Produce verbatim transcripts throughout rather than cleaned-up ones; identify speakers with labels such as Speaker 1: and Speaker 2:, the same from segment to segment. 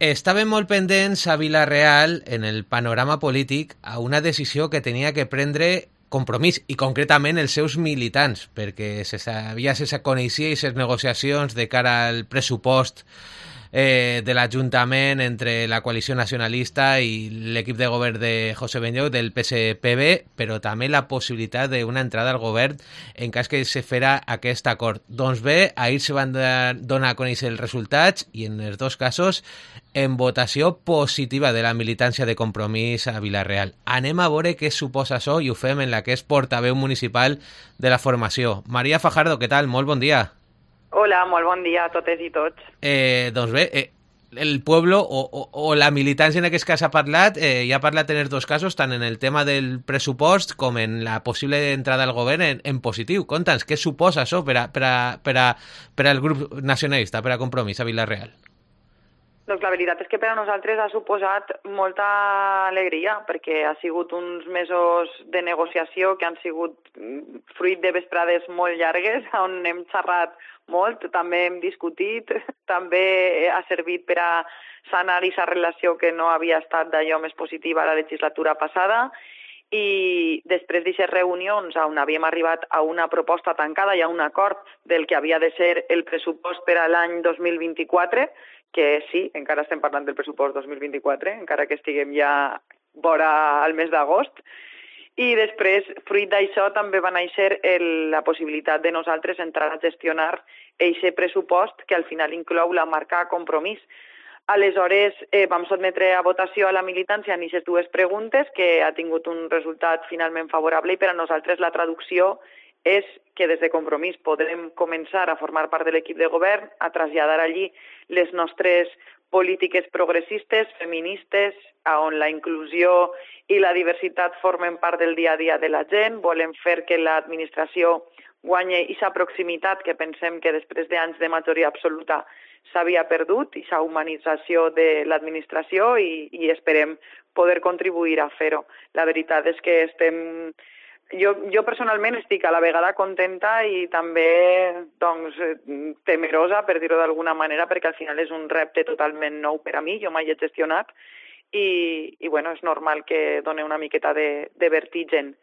Speaker 1: Estàvem molt pendents a Vila-real, en el panorama polític, a una decisió que tenia que prendre Compromís, i concretament els seus militants, perquè se sabia, se coneixia i les negociacions de cara al pressupost eh, de l'Ajuntament entre la coalició nacionalista i l'equip de govern de José Benlloc del P S P B, però també la possibilitat d'una entrada al govern en cas que se fera aquest acord. Doncs bé, ahir se van donar a conèixer els resultats i en els dos casos en votació positiva de la militància de Compromís a Vila-real. Anem a veure què suposa això i ho fem en la que és portaveu municipal de la formació. Maria Fajardo, què tal? Molt bon dia.
Speaker 2: Hola, molt bon dia a totes i tots.
Speaker 1: Eh, doncs bé, eh, el pueblo o, o, o la militància en aquest cas ha parlat, eh, ja ha parlat en els dos casos, tant en el tema del pressupost com en la possible entrada al govern en, en positiu. Conta'ns, què suposa això per, a, per, a, per, a, per al grup nacionalista, per a Compromís a Vila-real?
Speaker 2: Doncs la veritat és que per a nosaltres ha suposat molta alegria, perquè ha sigut uns mesos de negociació que han sigut fruit de vesprades molt llargues, on hem xerrat molt, també hem discutit, també ha servit per a sanar aquesta relació que no havia estat d'allò més positiva la legislatura passada, i després d'aquestes reunions on havíem arribat a una proposta tancada i a un acord del que havia de ser el pressupost per a l'any dos mil vint-i-quatre, que sí, encara estem parlant del pressupost dos mil vint-i-quatre, encara que estiguem ja vora al mes d'agost. I després, fruit d'això, també va néixer el, la possibilitat de nosaltres entrar a gestionar aquest pressupost que al final inclou la marca Compromís. Aleshores, eh, vam sotmetre a votació a la militància en aquestes dues preguntes, que ha tingut un resultat finalment favorable, i per a nosaltres la traducció és que des de Compromís podrem començar a formar part de l'equip de govern, a traslladar allí les nostres polítiques progressistes, feministes, on la inclusió i la diversitat formen part del dia a dia de la gent. Volem fer que l'administració guanyi aquesta proximitat que pensem que després d'anys de majoria absoluta s'havia perdut, aquesta humanització de l'administració, i, i esperem poder contribuir a fer-ho. La veritat és que estem... Jo, jo personalment estic a la vegada contenta i també doncs, temerosa, per dir-ho d'alguna manera, perquè al final és un repte totalment nou per a mi, jo mai he gestionat, i, i bueno, és normal que doni una miqueta de, de vertigen,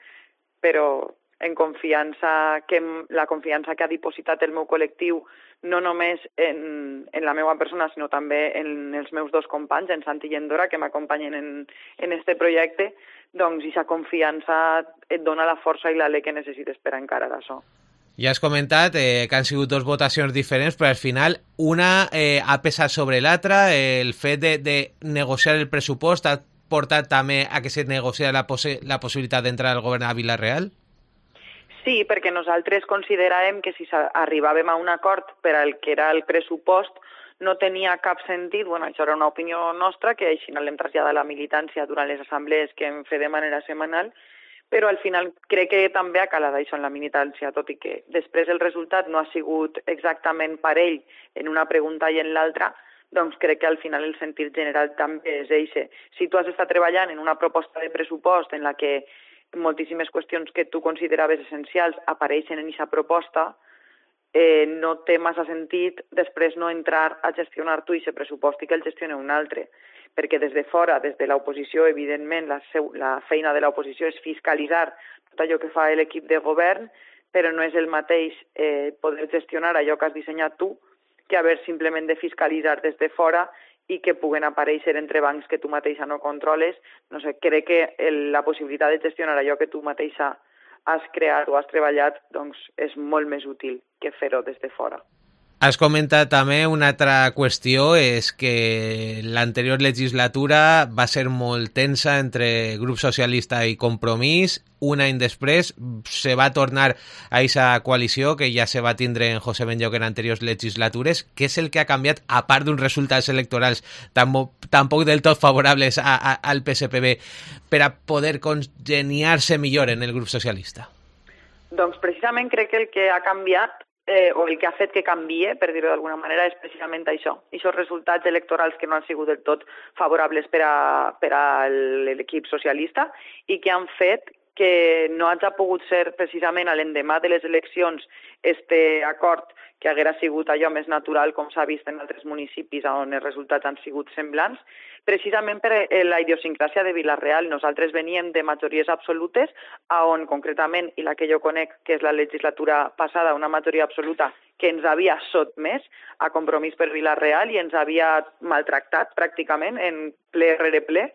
Speaker 2: però en confiança, que la confiança que ha dipositat el meu col·lectiu, no només en, en la meva persona, sinó també en els meus dos companys, en Santi i en Dora, que m'acompanyen en, en este projecte, doncs aquesta confiança et dona la força i l'alè que necessites per encarar això.
Speaker 1: Ja has comentat eh, que han sigut dues votacions diferents, però al final una eh, ha pesat sobre l'altra. El fet de, de negociar el pressupost ha portat també a que se negocia la, possi la possibilitat d'entrar al govern a Vila-real?
Speaker 2: Sí, perquè nosaltres consideràvem que si arribàvem a un acord per al que era el pressupost no tenia cap sentit, bueno, això era una opinió nostra, que així l'hem traslladat a la militància durant les assemblees que hem fet de manera setmanal, però al final crec que també ha calat això en la militància, tot i que després el resultat no ha sigut exactament parell en una pregunta i en l'altra, doncs crec que al final el sentit general també és eixe. Si tu has estat treballant en una proposta de pressupost en la que moltíssimes qüestions que tu consideraves essencials apareixen en aquesta proposta, eh, no té massa sentit després no entrar a gestionar tu aquest pressupost i que el gestioni un altre. Perquè des de fora, des de l'oposició, evidentment, la, seu, la feina de l'oposició és fiscalitzar tot allò que fa l'equip de govern, però no és el mateix eh, poder gestionar allò que has dissenyat tu que haver simplement de fiscalitzar des de fora i que puguen aparèixer entre bancs que tu mateixa no controles. No sé, crec que el, la possibilitat de gestionar allò que tu mateixa has creat o has treballat doncs és molt més útil que fer-ho des de fora.
Speaker 1: Has comentat també una altra qüestió, és que l'anterior legislatura va ser molt tensa entre grup socialista i Compromís. Un any després se va tornar a aquesta coalició que ja se va tindre en José Benlloc en anteriors legislatures. Què és el que ha canviat, a part d'uns resultats electorals tampoc del tot favorables a, a, al P S P B, per a poder congeniar-se millor en el grup socialista?
Speaker 2: Doncs precisament crec que el que ha canviat Eh, o el que ha fet que canvie, per dir-ho d'alguna manera, és precisament això. Aquests resultats electorals que no han sigut del tot favorables per a, per a l'equip socialista i que han fet que no hagi pogut ser precisament a l'endemà de les eleccions este acord que haguera sigut allò més natural, com s'ha vist en altres municipis on els resultats han sigut semblants, precisament per la idiosincràsia de Vila-real. Nosaltres veníem de majories absolutes, on concretament, i la que jo conec, que és la legislatura passada, una majoria absoluta que ens havia sotmès a Compromís per Vila-real i ens havia maltractat pràcticament en ple rere ple.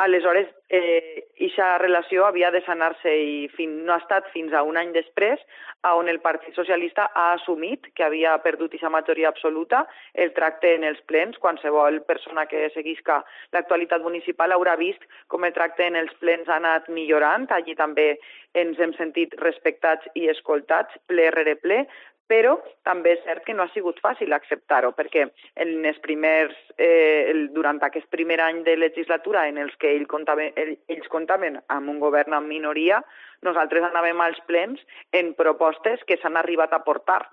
Speaker 2: Aleshores, eh, aquesta relació havia de sanar-se i fin, no ha estat fins a un any després on el Partit Socialista ha assumit que havia perdut aquesta majoria absoluta, el tracte en els plens. Qualsevol persona que seguisca l'actualitat municipal haurà vist com el tracte en els plens ha anat millorant. Allí també ens hem sentit respectats i escoltats, ple rere ple, però també és cert que no ha sigut fàcil acceptar-ho, perquè en els primers, eh, durant aquest primer any de legislatura en els que ells comptaven, ells comptaven amb un govern en minoria, nosaltres anàvem als plens en propostes que s'han arribat a portar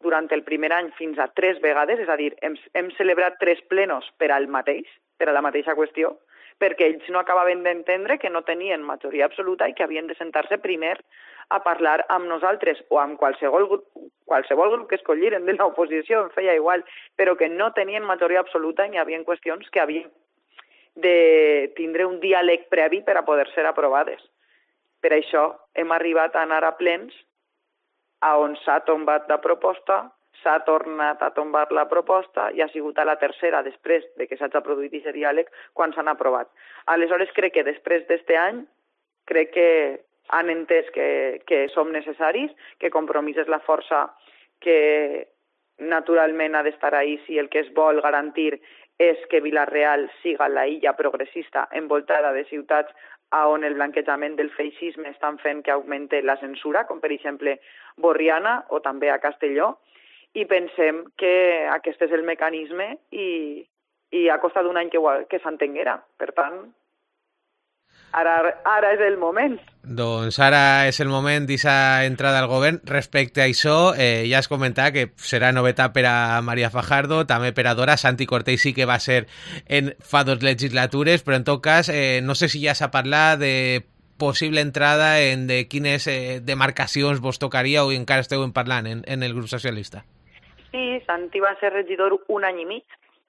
Speaker 2: durant el primer any fins a tres vegades, és a dir, hem, hem celebrat tres plenos per al mateix, per a la mateixa qüestió, perquè ells no acabaven d'entendre que no tenien majoria absoluta i que havien de sentar-se primer a parlar amb nosaltres o amb qualsevol grup, qualsevol grup que escolliren de l'oposició, em feia igual, però que no tenien majoria absoluta i hi havia qüestions que havien de tindre un diàleg previ per a poder ser aprovades. Per això hem arribat a anar a plens a on s'ha tombat la proposta, s'ha tornat a tombar la proposta i ha sigut a la tercera, després de que s'hagi produït aquest diàleg, quan s'han aprovat. Aleshores, crec que després d'este any, crec que han entès que, que som necessaris, que Compromís és la força que naturalment ha d'estar ahí si el que es vol garantir és que Vila-real siga la illa progressista envoltada de ciutats on el blanquejament del feixisme estan fent que augmente la censura, com per exemple Borriana o també a Castelló, i pensem que aquest és el mecanisme i, i ha costat un any que, que s'entenguera. Per tant, Ara, ara és el moment.
Speaker 1: Doncs ara és el moment d'aquesta entrada al govern. Respecte a això, eh, ja has comentat que serà novetat per a Maria Fajardo, també per a Dora. Santi Cortés sí que va ser en fa dos legislatures, però en tot cas, eh, no sé si ja s'ha parlat de possible entrada en de quines eh, demarcacions vos tocaria o encara esteu parlant en, en el grup socialista.
Speaker 2: Sí, Santi va ser regidor un any i mig.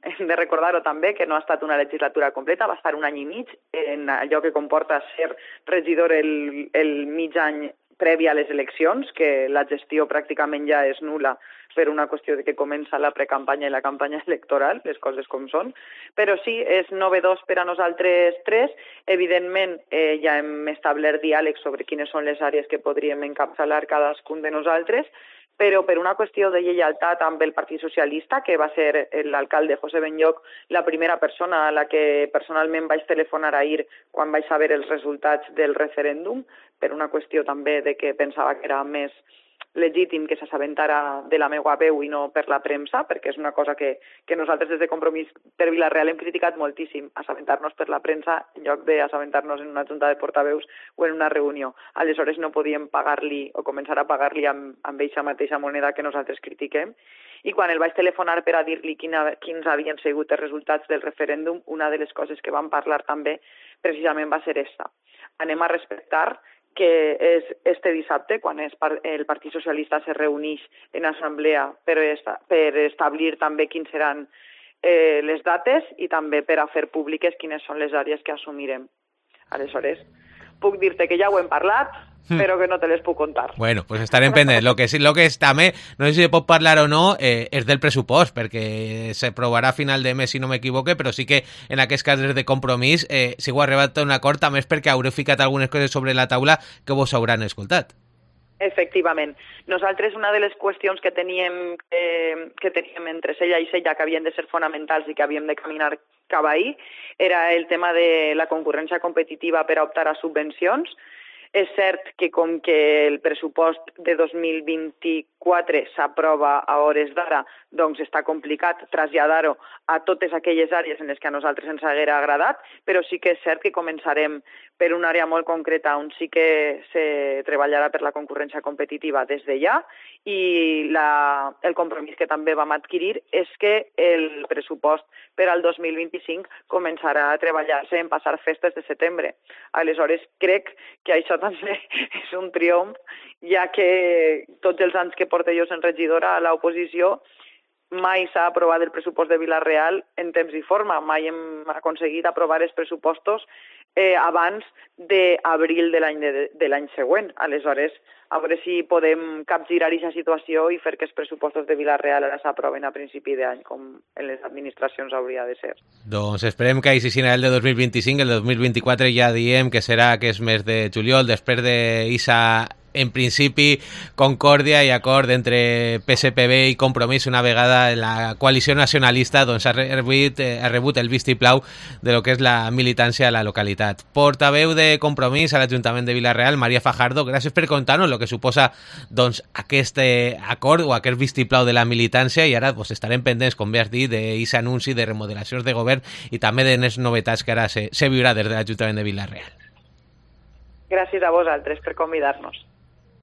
Speaker 2: Hem de recordar-ho també, que no ha estat una legislatura completa, va estar un any i mig en allò que comporta ser regidor el, el mig any previ a les eleccions, que la gestió pràcticament ja és nula per una qüestió de que comença la precampanya i la campanya electoral, les coses com són. Però sí, és novedós per a nosaltres tres. Evidentment, eh, ja hem establert diàleg sobre quines són les àrees que podríem encapçalar cadascun de nosaltres, però per una qüestió de lleialtat amb el Partit Socialista, que va ser l'alcalde José Benlloch la primera persona a la que personalment vaig telefonar ahir quan vaig saber els resultats del referèndum, per una qüestió també de que pensava que era més legítim que s'assabentara de la meva veu i no per la premsa, perquè és una cosa que, que nosaltres des de Compromís per Vila-real hem criticat moltíssim, assabentar-nos per la premsa en lloc d'assabentar-nos en una junta de portaveus o en una reunió. Aleshores no podíem pagar-li o començar a pagar-li amb, amb eixa mateixa moneda que nosaltres critiquem. I quan el vaig telefonar per a dir-li quina, quins havien sigut els resultats del referèndum, una de les coses que vam parlar també precisament va ser esta. Anem a respectar que és este dissabte, quan es el Partit Socialista se reuneix en assemblea per, esta, per establir també quins seran eh, les dates i també per a fer públiques quines són les àrees que assumirem. Aleshores, puc dir-te que ja ho hem parlat, però que no te les puc contar.
Speaker 1: Bueno, pues estarem pendents. Lo que sí, lo que és també, no sé si pot parlar o no, eh, és del pressupost, perquè s'aprovarà a final de mes, si no m'equivoque, però sí que en aquest cas des de Compromís, eh, si ho ha arribat a un acord, també és perquè haureu ficat algunes coses sobre la taula que vos hauran escoltat.
Speaker 2: Efectivament. Nosaltres una de les qüestions que teníem, eh, que teníem entre Sella i Sella, que havien de ser fonamentals i que havíem de caminar cap ahí, era el tema de la concurrència competitiva per a optar a subvencions. És cert que com que el pressupost de dos mil vint-i-quatre s'aprova a hores d'ara, doncs està complicat traslladar-ho a totes aquelles àrees en les que a nosaltres ens haguera agradat, però sí que és cert que començarem per una àrea molt concreta on sí que se treballarà per la concurrència competitiva des de ja, i la, el compromís que també vam adquirir és que el pressupost per al dos mil vint-i-cinc començarà a treballar-se en passar festes de setembre. Aleshores, crec que això també és un triomf, ja que tots els anys que porto jo sent regidora a l'oposició mai s'ha aprovat el pressupost de Vila-real en temps i forma. Mai hem aconseguit aprovar els pressupostos eh, abans d'abril de l'any de, de l'any següent. Aleshores, a veure si podem capgirar aquesta situació i fer que els pressupostos de Vila-real ara s'aproven a principi d'any, com en les administracions hauria de ser.
Speaker 1: Doncs esperem que així sigui el de dos mil vint-i-cinc, el de dos mil vint-i-quatre ja diem que serà aquest mes de juliol, després d'Isa, en principi, concòrdia i acord entre P S P B i Compromís una vegada la coalició nacionalista doncs, ha, rebut, eh, ha rebut el vistiplau de lo que és la militància a la localitat. Portaveu de Compromís a l'Ajuntament de Vila-real, Maria Fajardo, gràcies per contar-nos el que suposa doncs, aquest eh, acord o aquest vistiplau de la militància, i ara doncs, estarem pendents, com bé has dit, d'aquest anunci de remodelacions de govern i també de les novetats que ara se, se viurà des de l'Ajuntament de Vila-real.
Speaker 2: Gràcies a vosaltres per convidar-nos.